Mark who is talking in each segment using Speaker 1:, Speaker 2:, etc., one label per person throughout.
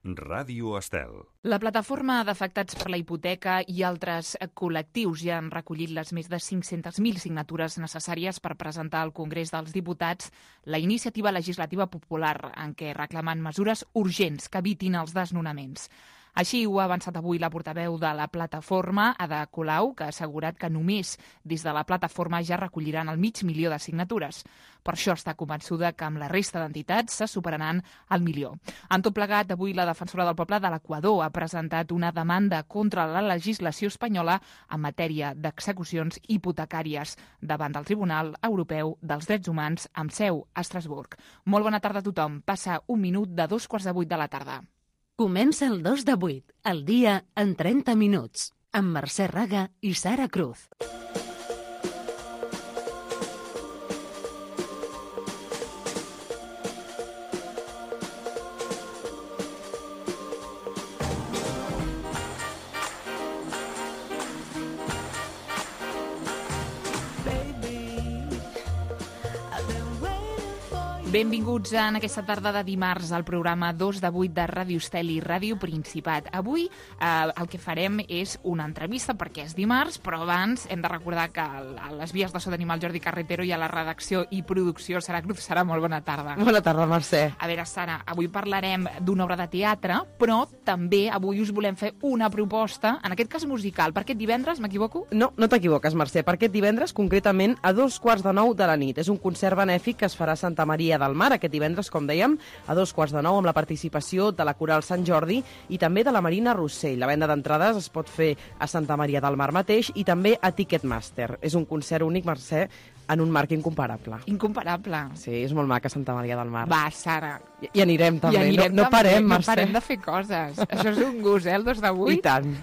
Speaker 1: Ràdio Estel.
Speaker 2: La plataforma d'afectats per la hipoteca i altres col·lectius ja han recollit les més de 500.000 signatures necessàries per presentar al Congrés dels Diputats la iniciativa legislativa popular en què reclamen mesures urgents que evitin els desnonaments. Així ho ha avançat avui la portaveu de la plataforma, Ada Colau, que ha assegurat que només des de la plataforma ja recolliran el 500.000 de signatures. Per això està convençuda que amb la resta d'entitats se superaran el 1.000.000. En tot plegat, avui la defensora del poble de l'Equador ha presentat una demanda contra la legislació espanyola en matèria d'execucions hipotecàries davant del Tribunal Europeu dels Drets Humans amb seu a Estrasburg. Molt bona tarda a tothom. Passa un minut de 7:45 de la tarda.
Speaker 3: Comença el 2 de 8, el dia en 30 minuts, amb Mercè Raga i Sara Cruz.
Speaker 2: Benvinguts en aquesta tarda de dimarts al programa 2 de 8 de Ràdio Estel i Ràdio Principat. Avui el que farem és una entrevista perquè és dimarts, però abans hem de recordar que a les vies de so tenim el Jordi Carretero i a la redacció i producció Sara Cruz. Sara, molt bona tarda.
Speaker 4: Bona tarda, Mercè.
Speaker 2: A veure, Sara, avui parlarem d'una obra de teatre, però també avui us volem fer una proposta, en aquest cas musical. Per aquest divendres, m'equivoco?
Speaker 4: No t'equivoques, Mercè. Per aquest divendres, concretament, a 8:45 de la nit. És un concert benèfic que es farà a Santa Maria del Mar aquest divendres, com dèiem, a 8:45 amb la participació de la Coral Sant Jordi i també de la Marina Rossell. La venda d'entrades es pot fer a Santa Maria del Mar mateix i també a Ticketmaster. És un concert únic, Mercè, en un marc incomparable.
Speaker 2: Incomparable.
Speaker 4: Sí, és molt maca Santa Maria del Mar.
Speaker 2: Va, Sara.
Speaker 4: I anirem també. No parem, Mercè.
Speaker 2: No parem de fer coses. Això és un gust, el 2 de 8.
Speaker 4: I tant.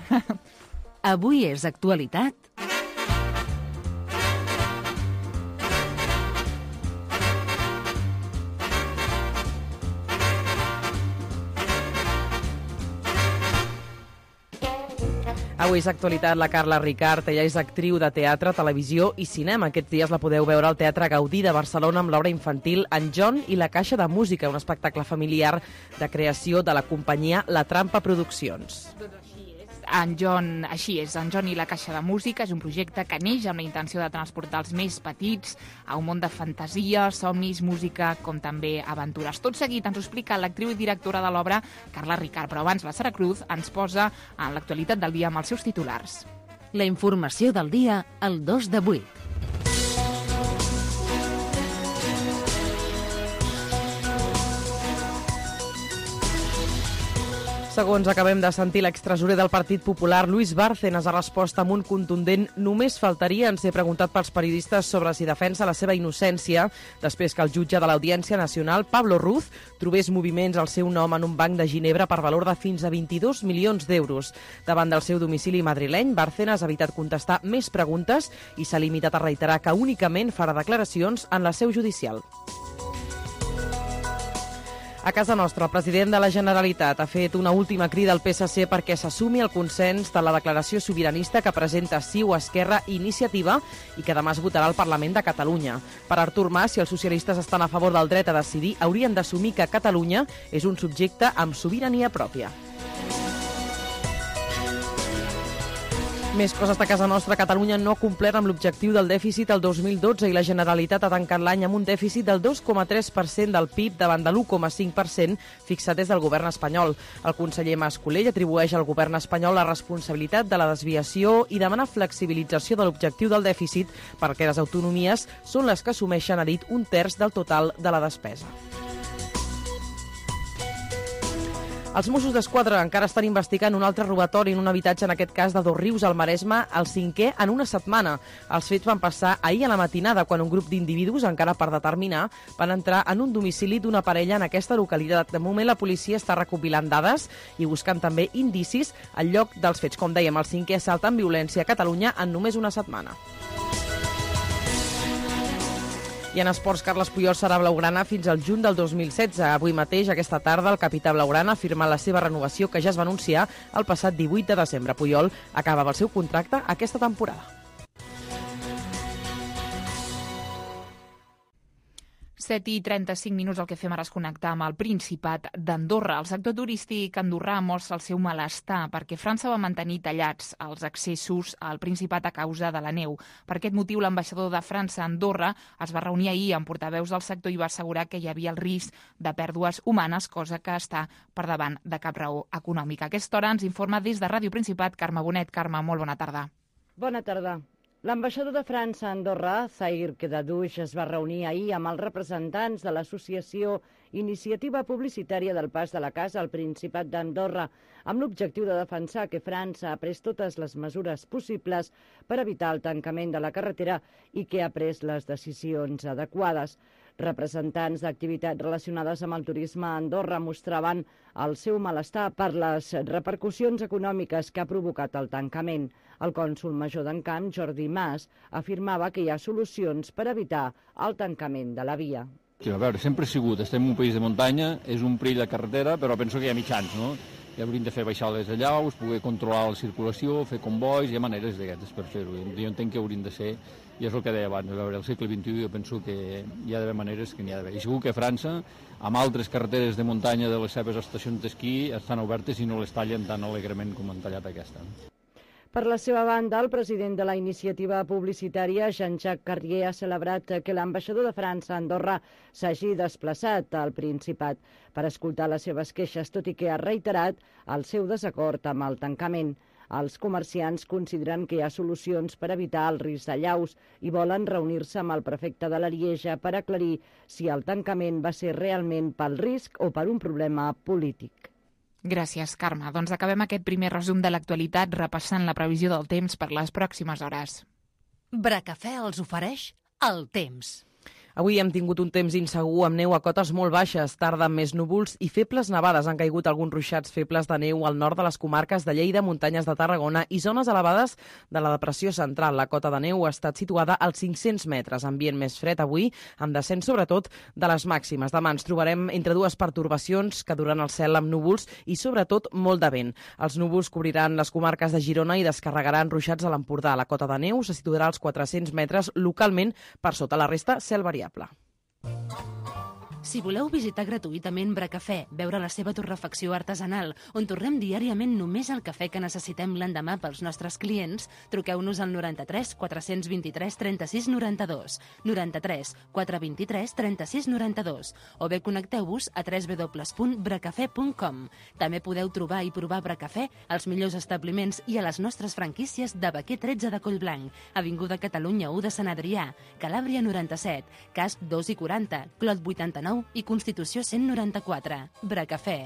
Speaker 3: Avui és actualitat.
Speaker 4: Avui és actualitat la Carla Ricart. Ella és actriu de teatre, televisió i cinema. Aquests dies la podeu veure al Teatre Gaudí de Barcelona amb l'obra infantil En John i la Caixa de Música, un espectacle familiar de creació de la companyia La Trampa Produccions.
Speaker 2: En John i la Caixa de Música és un projecte que neix amb la intenció de transportar els més petits a un món de fantasia, somnis, música, com també aventures. Tot seguit ens ho explica l'actriu i directora de l'obra, Carla Ricart, però abans la Sara Cruz ens posa en l'actualitat del dia amb els seus titulars.
Speaker 3: La informació del dia al 2 de 8.
Speaker 4: Segons acabem de sentir, l'extresorer del Partit Popular, Luis Bárcenas, ha respost amb un contundent "només faltaria" en ser preguntat pels periodistes sobre si defensa la seva innocència després que el jutge de l'Audiència Nacional, Pablo Ruz, trobés moviments al seu nom en un banc de Ginebra per valor de fins a 22 milions d'euros. Davant del seu domicili madrileny, Bárcenas ha evitat contestar més preguntes i s'ha limitat a reiterar que únicament farà declaracions en la seu judicial. A casa nostra, el president de la Generalitat ha fet una última crida al PSC perquè s'assumi el consens de la declaració sobiranista que presenta CiU, Esquerra i Iniciativa i que demà es votarà al Parlament de Catalunya. Per Artur Mas, si els socialistes estan a favor del dret a decidir, haurien d'assumir que Catalunya és un subjecte amb sobirania pròpia. Més coses de casa nostra. Catalunya no ha complert amb l'objectiu del dèficit el 2012 i la Generalitat ha tancat l'any amb un dèficit del 2,3% del PIB davant de l'1,5% fixat des del govern espanyol. El conseller Mas Colell atribueix al govern espanyol la responsabilitat de la desviació i demana flexibilització de l'objectiu del dèficit perquè les autonomies són les que assumeixen, ha dit, 1/3 del total de la despesa. Els Mossos d'Esquadra encara estan investigant un altre robatori en un habitatge, en aquest cas de Dosrius, al Maresme, el 5è en una setmana. Els fets van passar ahir a la matinada, quan un grup d'individus, encara per determinar, van entrar en un domicili d'una parella en aquesta localitat. De moment, la policia està recopilant dades i buscant també indicis al lloc dels fets. Com dèiem, el 5è assalt amb violència a Catalunya en només una setmana. I en esports, Carles Puyol serà blaugrana fins al juny del 2016. Avui mateix, aquesta tarda, el capità blaugrana ha firmat la seva renovació, que ja es va anunciar el passat 18 de desembre. Puyol acabava el seu contracte aquesta temporada.
Speaker 2: 7:35 el que fem ara és connectar amb el Principat d'Andorra. El sector turístic andorrà mostra el seu malestar perquè França va mantenir tallats els accessos al Principat a causa de la neu. Per aquest motiu, l'ambaixador de França a Andorra es va reunir ahir amb portaveus del sector i va assegurar que hi havia el risc de pèrdues humanes, cosa que està per davant de cap raó econòmica. A aquesta hora ens informa des de Ràdio Principat Carme Bonet. Carme, molt bona tarda.
Speaker 1: Bona tarda. L'ambaixador de França a Andorra, Zahir Kedadouch, es va reunir ahir amb els representants de l'associació Iniciativa Publicitària del Pas de la Casa al Principat d'Andorra, amb l'objectiu de defensar que França ha pres totes les mesures possibles per evitar el tancament de la carretera i que ha pres les decisions adequades. Representants d'activitats relacionades amb el turisme a Andorra mostraven el seu malestar per les repercussions econòmiques que ha provocat el tancament. El cònsol major d'Encamp, Jordi Mas, afirmava que hi ha solucions per evitar el tancament de la via.
Speaker 5: A veure, sempre ha sigut, estem en un país de muntanya, és un perill de carretera, però penso que hi ha mitjans, no? Ja hauríem de fer baixar les allaus, poder controlar la circulació, fer convois, hi ha maneres d'aquestes per fer-ho. Jo entenc que haurien de ser, i és el que deia abans, a veure, al segle XXI jo penso que hi ha d'haver maneres que n'hi ha d'haver. I segur que França, amb altres carreteres de muntanya de les seves estacions d'esquí, estan obertes i no les tallen tan alegrement com han tallat aquesta.
Speaker 1: Per la seva banda, el president de la iniciativa publicitària, Jean-Jacques Carrier, ha celebrat que l'ambaixador de França a Andorra s'hagi desplaçat al Principat per escoltar les seves queixes, tot i que ha reiterat el seu desacord amb el tancament. Els comerciants consideren que hi ha solucions per evitar el risc d'allaus i volen reunir-se amb el prefecte de l'Arieja per aclarir si el tancament va ser realment pel risc o per un problema polític.
Speaker 2: Gràcies, Carme. Doncs acabem aquest primer resum de l'actualitat repassant la previsió del temps per les pròximes hores.
Speaker 3: Bracafè els ofereix el temps.
Speaker 4: Avui hem tingut un temps insegur amb neu a cotes molt baixes, tarda amb més núvols i febles nevades. Han caigut alguns ruixats febles de neu al nord de les comarques de Lleida, muntanyes de Tarragona i zones elevades de la depressió central. La cota de neu ha estat situada als 500 metres. Ambient més fred avui, amb descens sobretot de les màximes. Demà ens trobarem entre dues pertorbacions que duran el cel amb núvols i sobretot molt de vent. Els núvols cobriran les comarques de Girona i descarregaran ruixats a l'Empordà. La cota de neu se situarà als 400 metres localment, per sota la resta cel variable.
Speaker 3: Si voleu visitar gratuïtament Bracafè, veure la seva torrefacció artesanal, on torrem diàriament només el cafè que necessitem l'endemà pels nostres clients, truqueu-nos al 93 423 36 92, 93 423 36 92, o bé connecteu-vos a www.bracafè.com. També podeu trobar i provar Bracafè als millors establiments i a les nostres franquícies de Baquer 13 de Collblanc, Avinguda Catalunya 1 de Sant Adrià, Calàbria 97, Casp 2 i 40, Clot 89 i Constitució 194. Bracafè.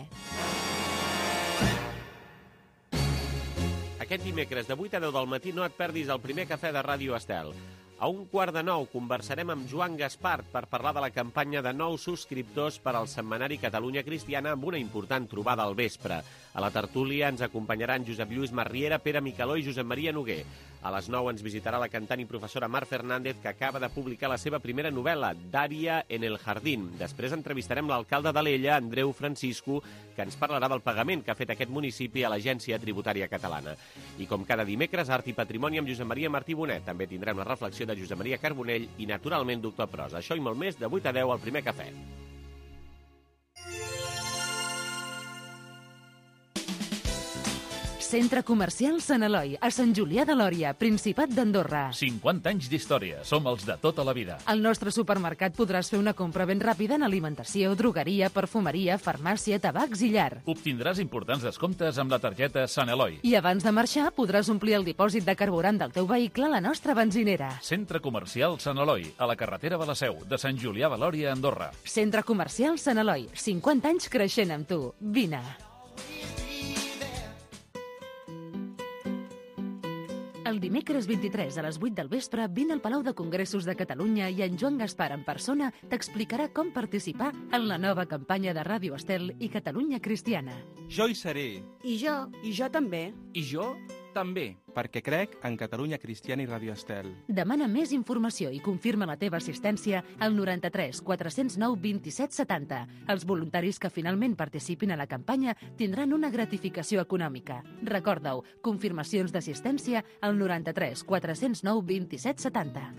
Speaker 6: Aquest dimecres de 8 a 10 del matí no et perdis el primer cafè de Ràdio Estel. A 8:45 conversarem amb Joan Gaspart per parlar de la campanya de nous subscriptors per al setmanari Catalunya Cristiana amb una important trobada al vespre. A la tertúlia ens acompanyaran Josep Lluís Marriera, Pere Micaló i Josep Maria Noguer. A les 9 ens visitarà la cantant i professora Mar Fernández, que acaba de publicar la seva primera novel·la, Daria en el Jardín. Després entrevistarem l'alcalde d'Alella, Andreu Francisco, que ens parlarà del pagament que ha fet aquest municipi a l'Agència Tributària Catalana. I com cada dimecres, Art i Patrimoni amb Josep Maria Martí Bonet. També tindrem la reflexió de Josep Maria Carbonell i, naturalment, Doctor Prosa. Això i molt més de 8 a 10 al primer cafè.
Speaker 3: Centre Comercial Sant Eloi, a Sant Julià de Lòria, Principat d'Andorra.
Speaker 7: 50 anys d'història. Som els de tota la vida.
Speaker 3: Al nostre supermercat podràs fer una compra ben ràpida en alimentació, drogueria, perfumeria, farmàcia, tabacs i llar.
Speaker 7: Obtindràs importants descomptes amb la targeta Sant Eloi.
Speaker 3: I abans de marxar podràs omplir el dipòsit de carburant del teu vehicle a la nostra benzinera.
Speaker 7: Centre Comercial Sant Eloi, a la carretera de la Seu, de Sant Julià de Lòria, Andorra.
Speaker 3: Centre Comercial Sant Eloi, 50 anys creixent amb tu. Vine. El dimecres 23 a les 8 del vespre vine al Palau de Congressos de Catalunya i en Joan Gaspar en persona t'explicarà com participar en la nova campanya de Ràdio Estel i Catalunya Cristiana.
Speaker 8: Jo hi seré.
Speaker 9: I jo també.
Speaker 8: I jo també, perquè crec en Catalunya Cristiana i Ràdio Estel.
Speaker 3: Demana més informació i confirma la teva assistència al 93 409 27 70. Els voluntaris que finalment participin a la campanya tindran una gratificació econòmica. Recorda-ho, confirmacions d'assistència al 93 409 27 70.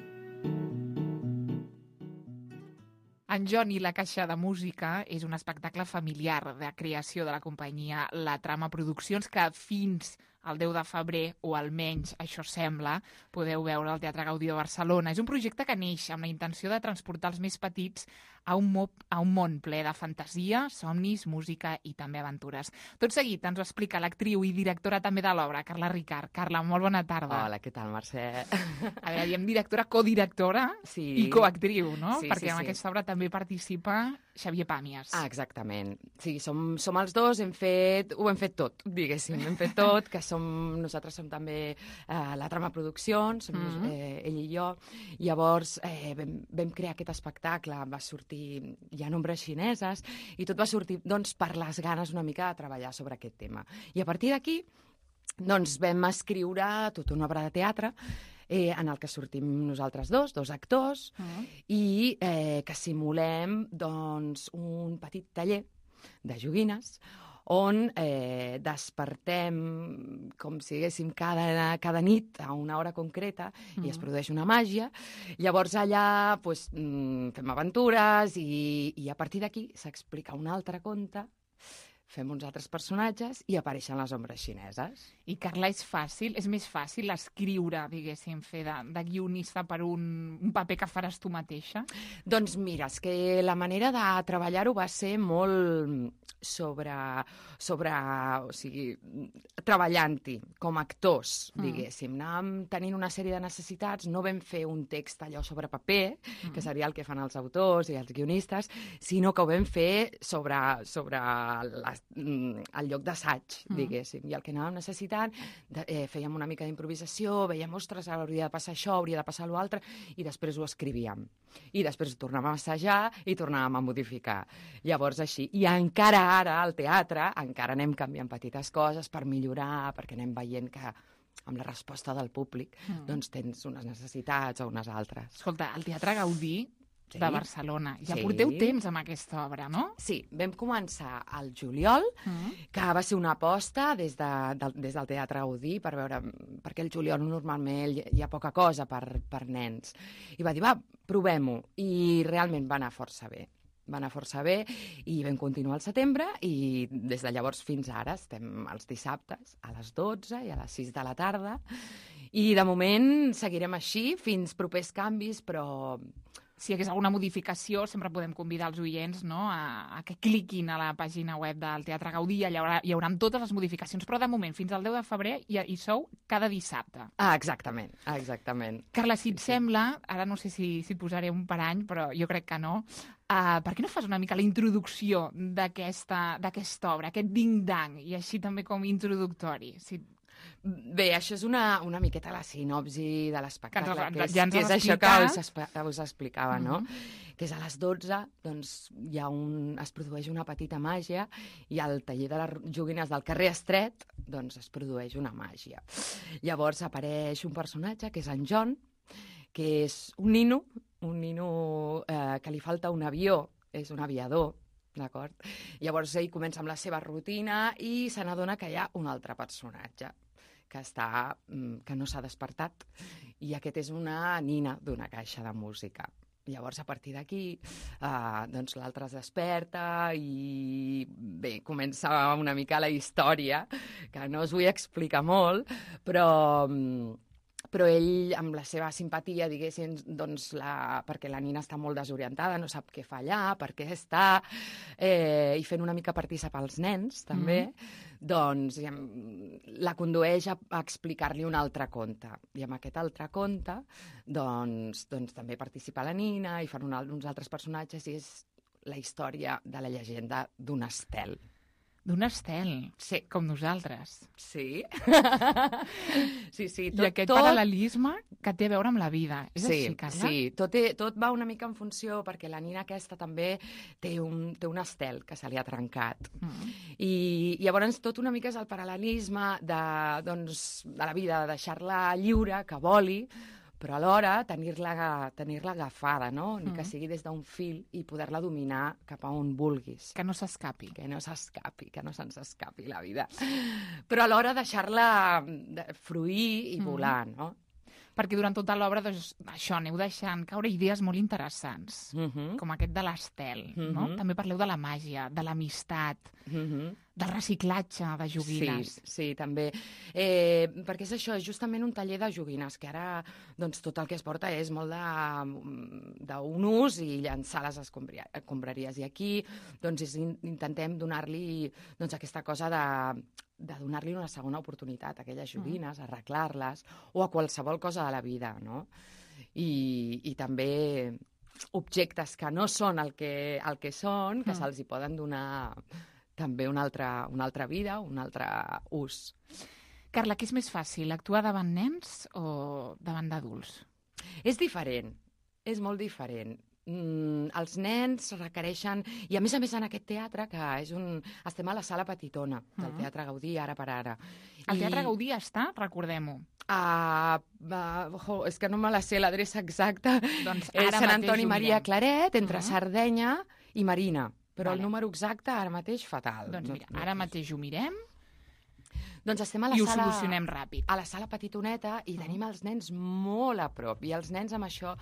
Speaker 2: En John i la Caixa de Música és un espectacle familiar de creació de la companyia La Trama Produccions que fins el 10 de febrer, o almenys això sembla, podeu veure al Teatre Gaudí de Barcelona. És un projecte que neix amb la intenció de transportar els més petits a un món ple de fantasia, somnis, música i també aventures. Tot seguit ens ho explica l'actriu i directora també de l'obra, Carla Ricart. Carla, molt bona tarda.
Speaker 10: Hola, què tal, Mercè?
Speaker 2: A veure, diem directora, codirectora i coactriu, no? Perquè en aquesta obra també participa Xavier Pàmies.
Speaker 10: Ah, exactament. Sí, som els dos, ho hem fet tot, diguéssim. Hem fet tot, que nosaltres som també La Trama Produccions, ell i jo. Llavors vam crear aquest espectacle, va sortir ja en ombres xineses, i tot va sortir doncs, per les ganes una mica de treballar sobre aquest tema. I a partir d'aquí doncs, vam escriure tota una obra de teatre en el que sortim nosaltres dos actors, i que simulem doncs, un petit taller de joguines on despertem com si diguéssim cada nit a una hora concreta i es produeix una màgia. Llavors allà doncs, fem aventures i a partir d'aquí s'explica un altre conte, fem uns altres personatges i apareixen les ombres xineses.
Speaker 2: I, Carla, és més fàcil escriure, diguéssim, fer de guionista per un paper que faràs tu mateixa?
Speaker 10: Doncs mira, és que la manera de treballar-ho va ser molt o sigui, treballant-hi com a actors, diguéssim. Anàvem tenint una sèrie de necessitats, no vam fer un text allò sobre paper, que seria el que fan els autors i els guionistes, sinó que ho vam fer sobre el lloc d'assaig, diguéssim. I el que anàvem necessitant, fèiem una mica d'improvisació, veiem, ostres, hauria de passar això, hauria de passar l'altre, i després ho escrivíem. I després ho tornàvem a assajar i tornàvem a modificar. Llavors així. I encara ara, al teatre, encara anem canviant petites coses per millorar, perquè anem veient que amb la resposta del públic doncs tens unes necessitats o unes altres.
Speaker 2: Escolta, el Teatre Gaudí de Barcelona. Ja porteu temps amb aquesta obra, no?
Speaker 10: Sí, vam començar al juliol, que va ser una aposta des del Teatre Gaudí per veure, perquè el juliol normalment hi ha poca cosa per nens. I va dir, va, provem-ho. I realment va anar força bé. I vam continuar al setembre i des de llavors fins ara estem els dissabtes a les 12 i a les 6 de la tarda. I de moment seguirem així fins propers canvis, però
Speaker 2: si hi hagués alguna modificació, sempre podem convidar els oients, no?, a que cliquin a la pàgina web del Teatre Gaudí, allà hi haurà totes les modificacions, però de moment, fins al 10 de febrer, hi sou cada dissabte.
Speaker 10: Ah, exactament.
Speaker 2: Carla, si et sembla, ara no sé si et posaré un parany, però jo crec que no, per què no fas una mica la introducció d'aquesta obra, aquest ding-dang, i així també com introductori?
Speaker 10: Bé, això és una miqueta la sinopsi de l'espectacle, que
Speaker 2: és
Speaker 10: això que us explicava, no? Que és a les 12, doncs es produeix una petita màgia i al taller de les joguines del carrer Estret doncs es produeix una màgia. Llavors apareix un personatge, que és en John, que és un nino que li falta un avió, és un aviador, d'acord? Llavors ell comença amb la seva rutina i se n'adona que hi ha un altre personatge que no s'ha despertat, i aquest és una nina d'una caixa de música. Llavors, a partir d'aquí, doncs l'altre es desperta i bé, comença una mica la història, que no us vull explicar molt, però ell, amb la seva simpatia, diguéssim, doncs perquè la nina està molt desorientada, no sap què fa allà, per què està, i fent una mica participar els nens, també, doncs la condueix a explicar-li un altre conte. I amb aquest altre conte, doncs també participa la nina i fan uns altres personatges, i és la història de la llegenda d'un estel.
Speaker 2: D'un estel,
Speaker 10: sí,
Speaker 2: com nosaltres.
Speaker 10: Sí. Sí.
Speaker 2: I aquest paral·lelisme que té a veure amb la vida. És així, Carla?
Speaker 10: Sí, tot va una mica en funció, perquè la nina aquesta també té un estel que se li ha trencat. I llavors tot una mica és el paral·lelisme de la vida, de deixar-la lliure, que voli, però alhora tenir-la agafada, no? Ni que sigui des d'un fil, i poder-la dominar cap a on vulguis.
Speaker 2: Que no s'escapi.
Speaker 10: Que no se'ns escapi la vida. Però alhora deixar-la fruir i volar, no?
Speaker 2: Perquè durant tota l'obra, doncs, això, aneu deixant caure idees molt interessants, com aquest de l'estel, no? També parleu de la màgia, de l'amistat, del reciclatge de joguines.
Speaker 10: Sí, també. Perquè és això, és justament un taller de joguines, que ara doncs, tot el que es porta és molt d'un ús i llançar les escombraries. I aquí doncs, intentem donar-li doncs, aquesta cosa de donar-li una segona oportunitat a aquelles joguines, arreglar-les, o a qualsevol cosa de la vida, no? I també objectes que no són el que són, que se'ls hi poden donar també una altra vida, un altre ús.
Speaker 2: Carla, què és més fàcil, actuar davant nens o davant d'adults?
Speaker 10: És diferent, és molt diferent. Els nens requereixen... I a més en aquest teatre, que estem a la sala petitona del Teatre Gaudí, ara per ara.
Speaker 2: El Teatre Gaudí està, recordem-ho.
Speaker 10: És que no me la sé l'adreça exacta.
Speaker 2: Doncs
Speaker 10: és Sant Antoni Maria Claret, entre Sardenya i Marina. Però el número exacte ara mateix fatal.
Speaker 2: Doncs mira, ara mateix ho mirem.
Speaker 10: Doncs estem a la
Speaker 2: sala... I ho
Speaker 10: sala...
Speaker 2: solucionem ràpid.
Speaker 10: A la sala petitoneta i tenim els nens molt a prop. I els nens amb això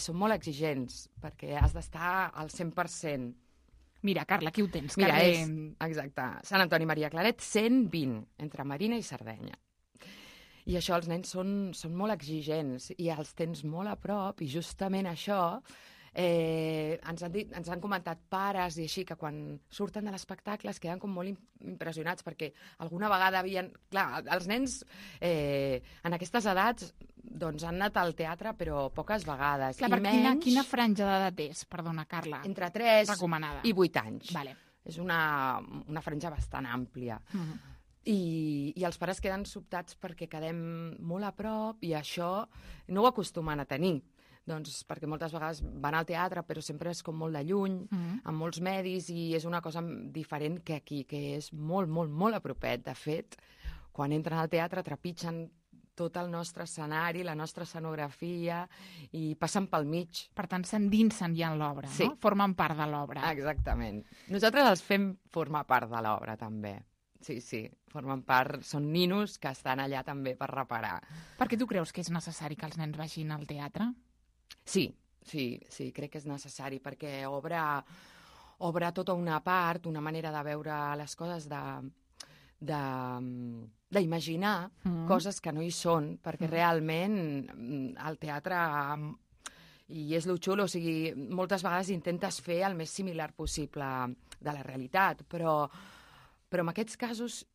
Speaker 10: són molt exigents, perquè has d'estar al 100%.
Speaker 2: Mira, Carla, aquí ho tens.
Speaker 10: Mira, exacte. Sant Antoni Maria Claret, 120, entre Marina i Sardenya. I això, els nens són molt exigents i els tens molt a prop i justament això... ens han comentat pares i així que quan surten de l'espectacle es queden com molt impressionats perquè alguna vegada havien... Clar, els nens en aquestes edats doncs, han anat al teatre però poques vegades.
Speaker 2: Clar, quina franja d'edat és, perdona, Carla?
Speaker 10: Entre 3
Speaker 2: recomanada.
Speaker 10: I 8 anys.
Speaker 2: Vale.
Speaker 10: És una franja bastant àmplia. I els pares queden sobtats perquè quedem molt a prop i això no ho acostumen a tenir. Doncs perquè moltes vegades van al teatre però sempre és com molt de lluny, amb molts medis i és una cosa diferent que aquí, que és molt, molt, molt a propet. De fet, quan entren al teatre trepitgen tot el nostre escenari, la nostra escenografia i passen pel mig.
Speaker 2: Per tant, s'endinsen ja en l'obra, no? Formen part de l'obra.
Speaker 10: Exactament. Nosaltres els fem formar part de l'obra, també. Sí, formen part, són ninos que estan allà també per reparar.
Speaker 2: Per què tu creus que és necessari que els nens vagin al teatre?
Speaker 10: Sí, crec que és necessari, perquè obre tota una part, una manera de veure les coses, d'imaginar coses que no hi són, perquè realment el teatre, i és lo xulo, o sigui, moltes vegades intentes fer el més similar possible de la realitat, però en aquests casos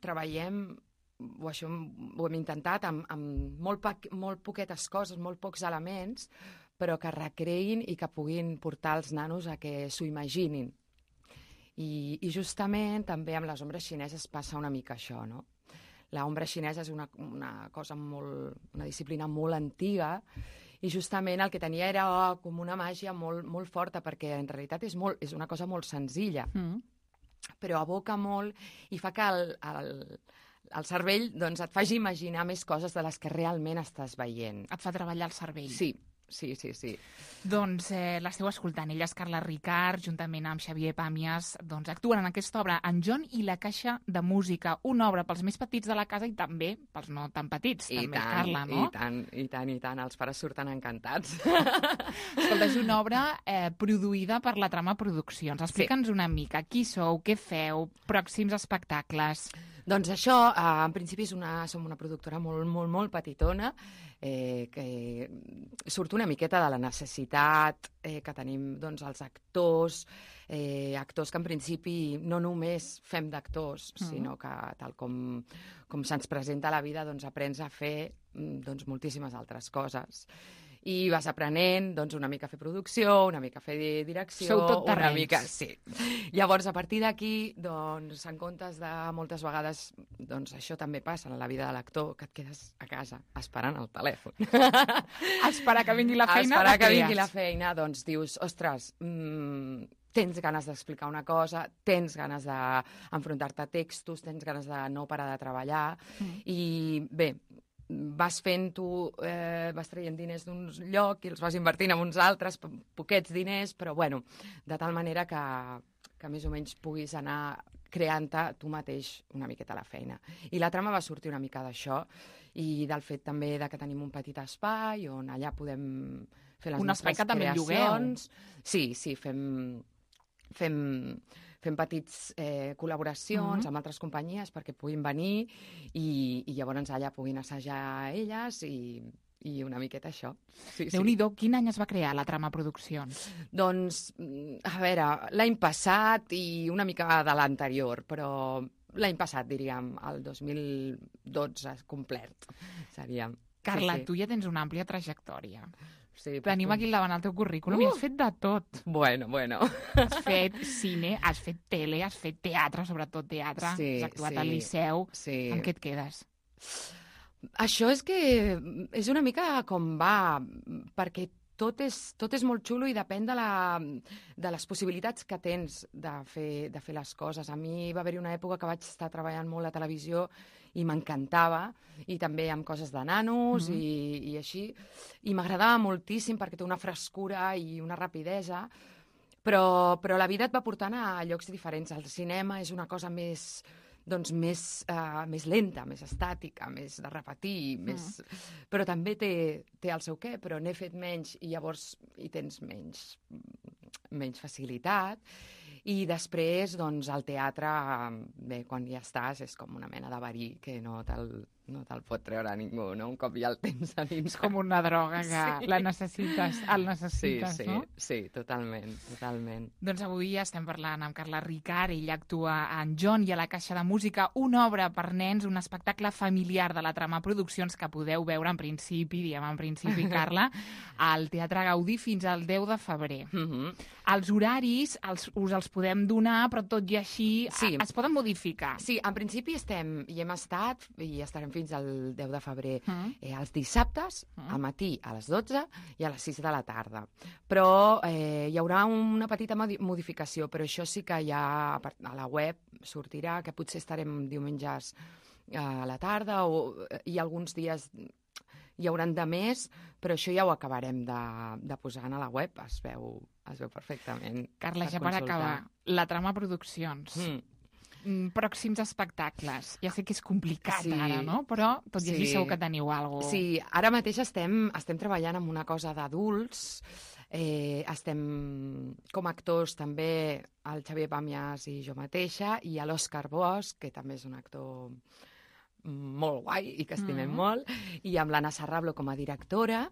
Speaker 10: treballem, o això ho hem intentat, amb molt poquetes coses, molt pocs elements, però que recreïn i que puguin portar els nanos a que s'ho imaginin. I justament també amb les ombres xineses passa una mica això, no? L'ombra xinesa és una cosa una disciplina molt antiga i justament el que tenia era com una màgia molt forta, perquè en realitat és una cosa molt senzilla, però aboca molt i fa que el cervell doncs, et faci imaginar més coses de les que realment estàs veient.
Speaker 2: Et fa treballar el cervell.
Speaker 10: Sí.
Speaker 2: Doncs l'esteu escoltant. Ella és Carla Ricart, juntament amb Xavier Pàmies, doncs actuen en aquesta obra En John i la caixa de música, una obra pels més petits de la casa i també pels no tan petits, també, Carla, no?
Speaker 10: I tant. Els pares surten encantats.
Speaker 2: Escolta, és una obra produïda per la Trama Produccions. Explica'ns una mica qui sou, què feu, pròxims espectacles.
Speaker 10: Doncs això, en principi som una productora molt petitona, que surt una miqueta de la necessitat que tenim doncs, els actors que en principi no només fem d'actors, sinó que tal com se'ns presenta a la vida, doncs aprens a fer doncs, moltíssimes altres coses. I vas aprenent doncs, una mica a fer producció, una mica a fer direcció...
Speaker 2: Sou tot terrenys.
Speaker 10: Una mica, sí. Llavors, a partir d'aquí, doncs, en comptes de moltes vegades, doncs això també passa en la vida de l'actor, que et quedes a casa esperant el telèfon.
Speaker 2: Esperar que vingui la feina.
Speaker 10: Esperar que vingui la feina, doncs dius, ostres, tens ganes d'explicar una cosa, tens ganes d'enfrontar-te a textos, tens ganes de no parar de treballar, i bé, vas fent vas traient diners d'un lloc i els vas invertint en uns altres, poquets diners, però bueno, de tal manera que més o menys puguis anar creant-te tu mateix una miqueta la feina. I la trama va sortir una mica d'això i del fet també de que tenim un petit espai on allà podem fer les nostres creacions. Un espai que també llogueu. Sí, fem petits col·laboracions amb altres companyies perquè puguin venir i llavors allà puguin assajar elles i una miqueta això.
Speaker 2: Déu-n'hi-do, quin any es va crear la Trama Produccions?
Speaker 10: Doncs, a veure, l'any passat i una mica de l'anterior, però l'any passat, diríem, el 2012 complet, seria.
Speaker 2: Carla, tu ja tens una àmplia trajectòria.
Speaker 10: Sí,
Speaker 2: tenim aquí al davant el teu currículum i has fet de tot.
Speaker 10: Bueno.
Speaker 2: Has fet cine, has fet tele, has fet teatre, sobretot teatre, has actuat al Liceu. Amb què et quedes?
Speaker 10: Això és que és una mica com va, perquè tot és molt xulo i depèn de les possibilitats que tens de fer les coses. A mi va haver-hi una època que vaig estar treballant molt a televisió i m'encantava, i també amb coses de nanos i així, i m'agradava moltíssim perquè té una frescura i una rapidesa, però la vida et va portant a llocs diferents. El cinema és una cosa més lenta, més estàtica, més de repetir, però també té el seu què, però n'he fet menys i llavors hi tens menys facilitat. I després, doncs, el teatre, bé, quan ja estàs, és com una mena de verí que no te'l pot treure ningú, no? Un cop ja el tens a dins.
Speaker 2: És com una droga que la necessites, el necessites, no?
Speaker 10: Sí, totalment.
Speaker 2: Doncs avui estem parlant amb Carla Ricart, ella actua en John i a la Caixa de Música, una obra per nens, un espectacle familiar de la Trama Produccions que podeu veure en principi, Carla, al Teatre Gaudí fins al 10 de febrer. Els horaris us els podem donar, però tot i així es poden modificar.
Speaker 10: Sí, en principi hem estat i estarem fins al 10 de febrer els dissabtes, al matí a les 12 i a les 6 de la tarda. Però hi haurà una petita modificació, però això sí que ja a la web sortirà, que potser estarem diumenges a la tarda i alguns dies hi hauran de més, però això ja ho acabarem de posar a la web, es veu perfectament.
Speaker 2: Carla, ja per acabar, la Trama Produccions, pròxims espectacles. Ja sé que és complicat ara, no? Però tot i així segur que teniu alguna cosa.
Speaker 10: Sí, ara mateix estem treballant en una cosa d'adults, estem com actors també el Xavier Pàmies i jo mateixa, i l'Òscar Bosch, que també és un actor molt guai i que estimem molt, i amb l'Anna Sarrablo com a directora,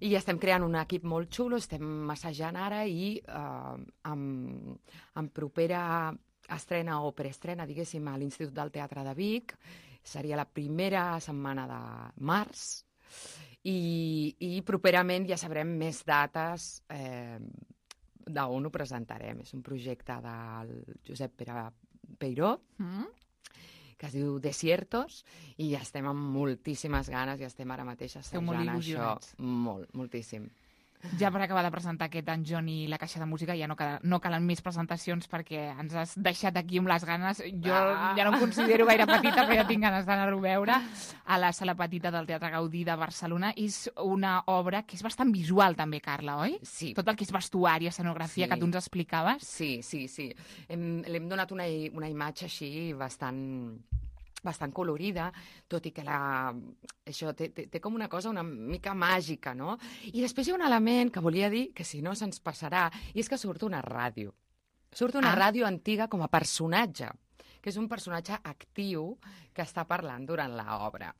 Speaker 10: i estem creant un equip molt xulo, estem assajant ara i en propera estrena o preestrena, diguéssim, a l'Institut del Teatre de Vic, seria la primera setmana de març, i properament ja sabrem més dates d'on ho presentarem. És un projecte del Josep Pere Peiró, que es diu Desiertos, i estem amb moltíssimes ganes i estem ara mateix assajant això. Moltíssim.
Speaker 2: Ja per acabar de presentar aquest En John i la Caixa de Música, ja no calen més presentacions perquè ens has deixat aquí amb les ganes. Jo ja no em considero gaire petita, però ja tinc ganes d'anar-ho a veure a la Sala Petita del Teatre Gaudí de Barcelona. És una obra que és bastant visual també, Carla, oi?
Speaker 10: Sí.
Speaker 2: Tot el que és vestuari, escenografia, que tu ens explicaves.
Speaker 10: Sí. L'hem donat una imatge així bastant colorida, tot i que això té com una cosa una mica màgica, no? I després hi ha un element que volia dir que si no se'ns passarà, i és que surt una ràdio. Surt una ràdio antiga com a personatge, que és un personatge actiu que està parlant durant l'obra.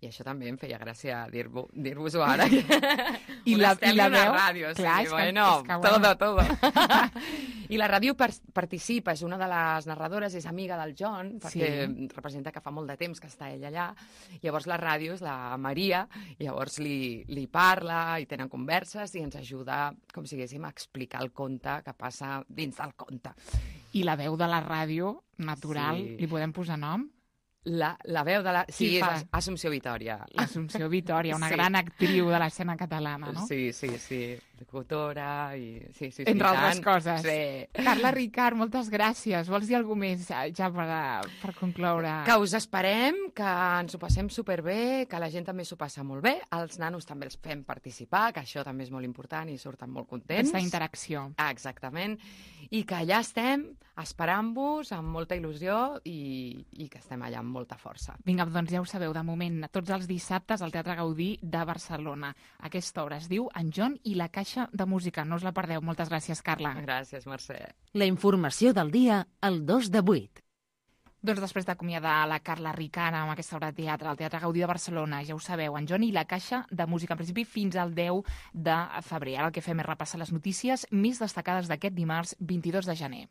Speaker 10: I això també em feia gràcia dir-vos-ho ara.
Speaker 2: I la veu?
Speaker 10: Ràdio,
Speaker 2: clar,
Speaker 10: sí, bueno, todo. I la ràdio participa, és una de les narradores, és amiga del John, perquè representa que fa molt de temps que està ell allà. Llavors la ràdio és la Maria, llavors li parla i tenen converses i ens ajuda, com si diguéssim, a explicar el conte que passa dins del conte.
Speaker 2: I la veu de la ràdio, natural, li podem posar nom?
Speaker 10: La veu de la... Sí, és Assumpció Vitòria.
Speaker 2: L'Assumpció Vitòria, una gran actriu de l'escena catalana, no?
Speaker 10: Sí. locutora i... Sí,
Speaker 2: entre altres coses.
Speaker 10: Sí.
Speaker 2: Carla Ricart, moltes gràcies. Vols dir alguna més ja per concloure?
Speaker 10: Que us esperem, que ens ho passem superbé, que la gent també s'ho passa molt bé, els nanos també els fem participar, que això també és molt important i surten molt contents.
Speaker 2: Aquesta interacció.
Speaker 10: Exactament. I que allà estem esperant-vos amb molta il·lusió i que estem allà amb molta força.
Speaker 2: Vinga, doncs ja ho sabeu, de moment, tots els dissabtes al Teatre Gaudí de Barcelona. Aquesta obra es diu En John i la Caixa de Música. No us la perdeu. Moltes gràcies, Carla.
Speaker 10: Gràcies, Mercè.
Speaker 3: La informació del dia al 2 de 8.
Speaker 2: Doncs després d'acomiadar la Carla Ricart amb aquesta obra de teatre al Teatre Gaudí de Barcelona, ja ho sabeu, En John i la Caixa de Música, en principi fins al 10 de febrer. Ara el que fem és repassar les notícies més destacades d'aquest dimarts 22 de gener.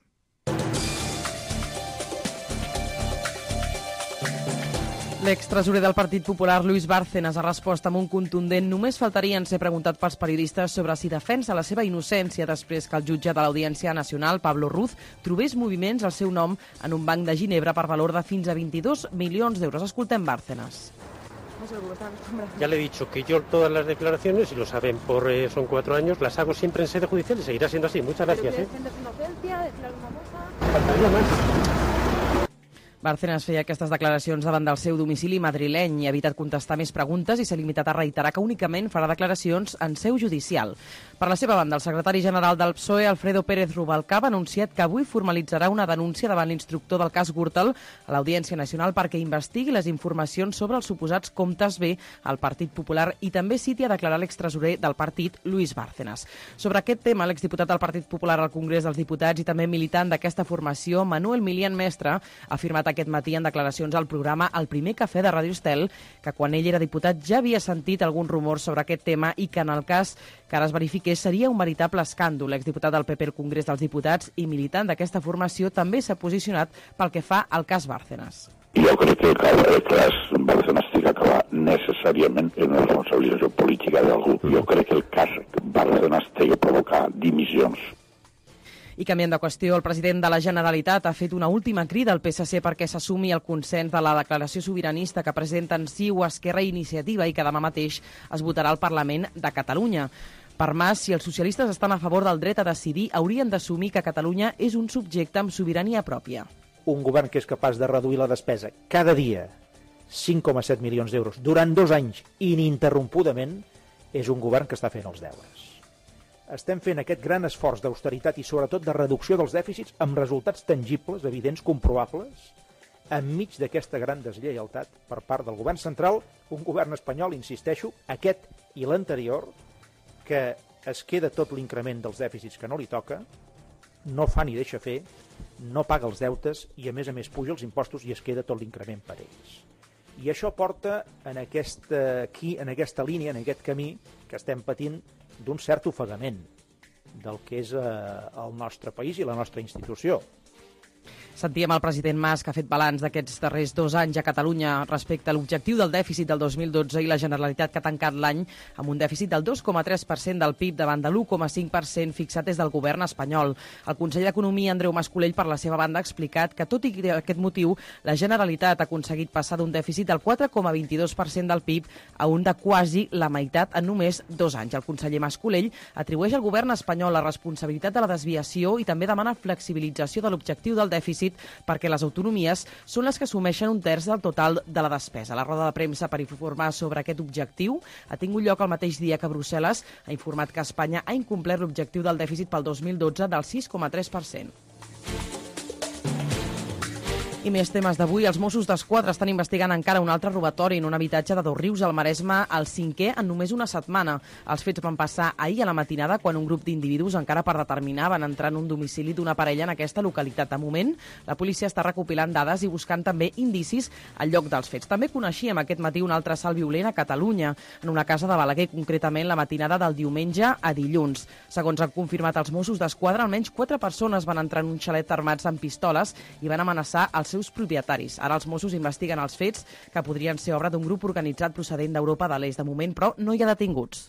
Speaker 4: L'extresorer del Partit Popular, Luis Bárcenas, ha respost amb un contundent només faltarien ser preguntat pels periodistes sobre si defensa la seva innocència després que el jutge de l'Audiència Nacional, Pablo Ruz, trobés moviments al seu nom en un banc de Ginebra per valor de fins a 22 milions d'euros. Escoltem Bárcenas.
Speaker 11: Ya le he dicho que yo todas las declaraciones, y lo saben, son 4 años, las hago siempre en sede judicial y seguirá siendo así. Muchas gracias.
Speaker 12: ¿Defiende su inocencia? ¿Decir alguna cosa?
Speaker 11: Faltaría más.
Speaker 4: Bárcenas feia aquestes declaracions davant del seu domicili madrileny i ha evitat contestar més preguntes i s'ha limitat a reiterar que únicament farà declaracions en seu judicial. Per la seva banda, el secretari general del PSOE, Alfredo Pérez Rubalcaba, ha anunciat que avui formalitzarà una denúncia davant l'instructor del cas Gürtel a l'Audiència Nacional perquè investigui les informacions sobre els suposats comptes B al Partit Popular i també citi a declarar l'extresorer del partit, Luis Bárcenas. Sobre aquest tema, l'exdiputat del Partit Popular al Congrés dels Diputats i també militant d'aquesta formació, Manuel Milian Mestre, ha afirmat aquest matí en declaracions al programa El primer cafè de Ràdio Estel que quan ell era diputat ja havia sentit algun rumor sobre aquest tema i que en el cas que ara es verifiqués seria un veritable escàndol. L'exdiputat del PP al Congrés dels Diputats i militant d'aquesta formació també s'ha posicionat pel que fa al cas Bárcenas.
Speaker 13: Jo crec que el cas Bárcenas ha d'acabar necessàriament en una responsabilització política d'algú. Jo crec que el cas Bárcenas té que provocar dimissions.
Speaker 4: I canviant de qüestió, el president de la Generalitat ha fet una última crida al PSC perquè s'assumi el consens de la declaració sobiranista que presenten CiU, Esquerra i Iniciativa i que demà mateix es votarà al Parlament de Catalunya. Per Mas, si els socialistes estan a favor del dret a decidir, haurien d'assumir que Catalunya és un subjecte amb sobirania pròpia.
Speaker 14: Un govern que és capaç de reduir la despesa cada dia 5,7 milions d'euros durant 2 anys ininterrompudament és un govern que està fent els deures. Estem fent aquest gran esforç d'austeritat i sobretot de reducció dels dèficits amb resultats tangibles, evidents, comprovables, enmig d'aquesta gran deslleialtat per part del govern central, un govern espanyol, insisteixo, aquest i l'anterior, que es queda tot l'increment dels dèficits que no li toca, no fa ni deixa fer, no paga els deutes i a més puja els impostos i es queda tot l'increment per ells. I això porta en aquesta línia, en aquest camí que estem patint d'un cert ofegament del que és el nostre país i la nostra institució.
Speaker 4: Sentíem el president Mas, que ha fet balanç d'aquests darrers 2 anys a Catalunya respecte a l'objectiu del dèficit del 2012 i la Generalitat que ha tancat l'any amb un dèficit del 2,3% del PIB davant de l'1,5% fixat des del govern espanyol. El conseller d'Economia, Andreu Mas-Colell, per la seva banda, ha explicat que, tot i aquest motiu, la Generalitat ha aconseguit passar d'un dèficit del 4,22% del PIB a un de quasi la meitat en només 2 anys. El conseller Mas-Colell atribueix al govern espanyol la responsabilitat de la desviació i també demana flexibilització de l'objectiu del dèficit perquè les autonomies són les que assumeixen 1/3 del total de la despesa. La roda de premsa per informar sobre aquest objectiu ha tingut lloc el mateix dia que Brussel·les ha informat que Espanya ha incomplert l'objectiu del dèficit pel 2012 del 6,3%. I més temes d'avui. Els Mossos d'Esquadra estan investigant encara un altre robatori en un habitatge de Dosrius, al Maresme, el 5è en només una setmana. Els fets van passar ahir a la matinada quan un grup d'individus, encara per determinar, van entrar en un domicili d'una parella en aquesta localitat. De moment, la policia està recopilant dades i buscant també indicis al lloc dels fets. També coneixíem aquest matí un altre assalt violent a Catalunya, en una casa de Balaguer, concretament la matinada del diumenge a dilluns. Segons han confirmat els Mossos d'Esquadra, almenys 4 persones van entrar en un xalet armats amb pistoles i van amenaçar els seus propietaris. Ara els Mossos investiguen els fets, que podrien ser obra d'un grup organitzat procedent d'Europa de l'Est. De moment, però, no hi ha detinguts.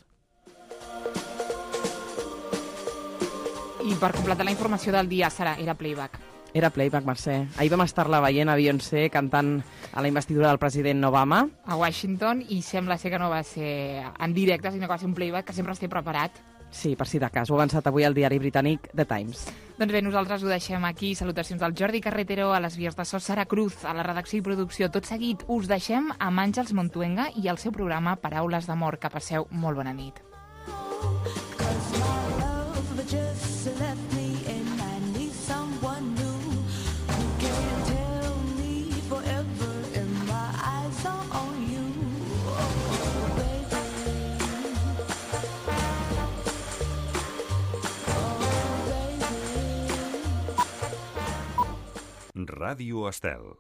Speaker 2: I per completar la informació del dia, Sara, era playback.
Speaker 4: Era playback, Mercè. Ahir vam estar-la veient a Beyoncé cantant a la investidura del president Obama.
Speaker 2: A Washington, i sembla ser que no va ser en directe, sinó que va ser un playback que sempre es té preparat.
Speaker 4: Sí, per si de cas. Ho ha avançat avui el diari britànic The Times.
Speaker 2: Doncs bé, nosaltres ho deixem aquí. Salutacions al Jordi Carretero, a les vies de so Sara Cruz, a la redacció i producció. Tot seguit us deixem amb Àngels Montuenga i el seu programa Paraules d'amor. Que passeu molt bona nit.
Speaker 15: Ràdio Estel.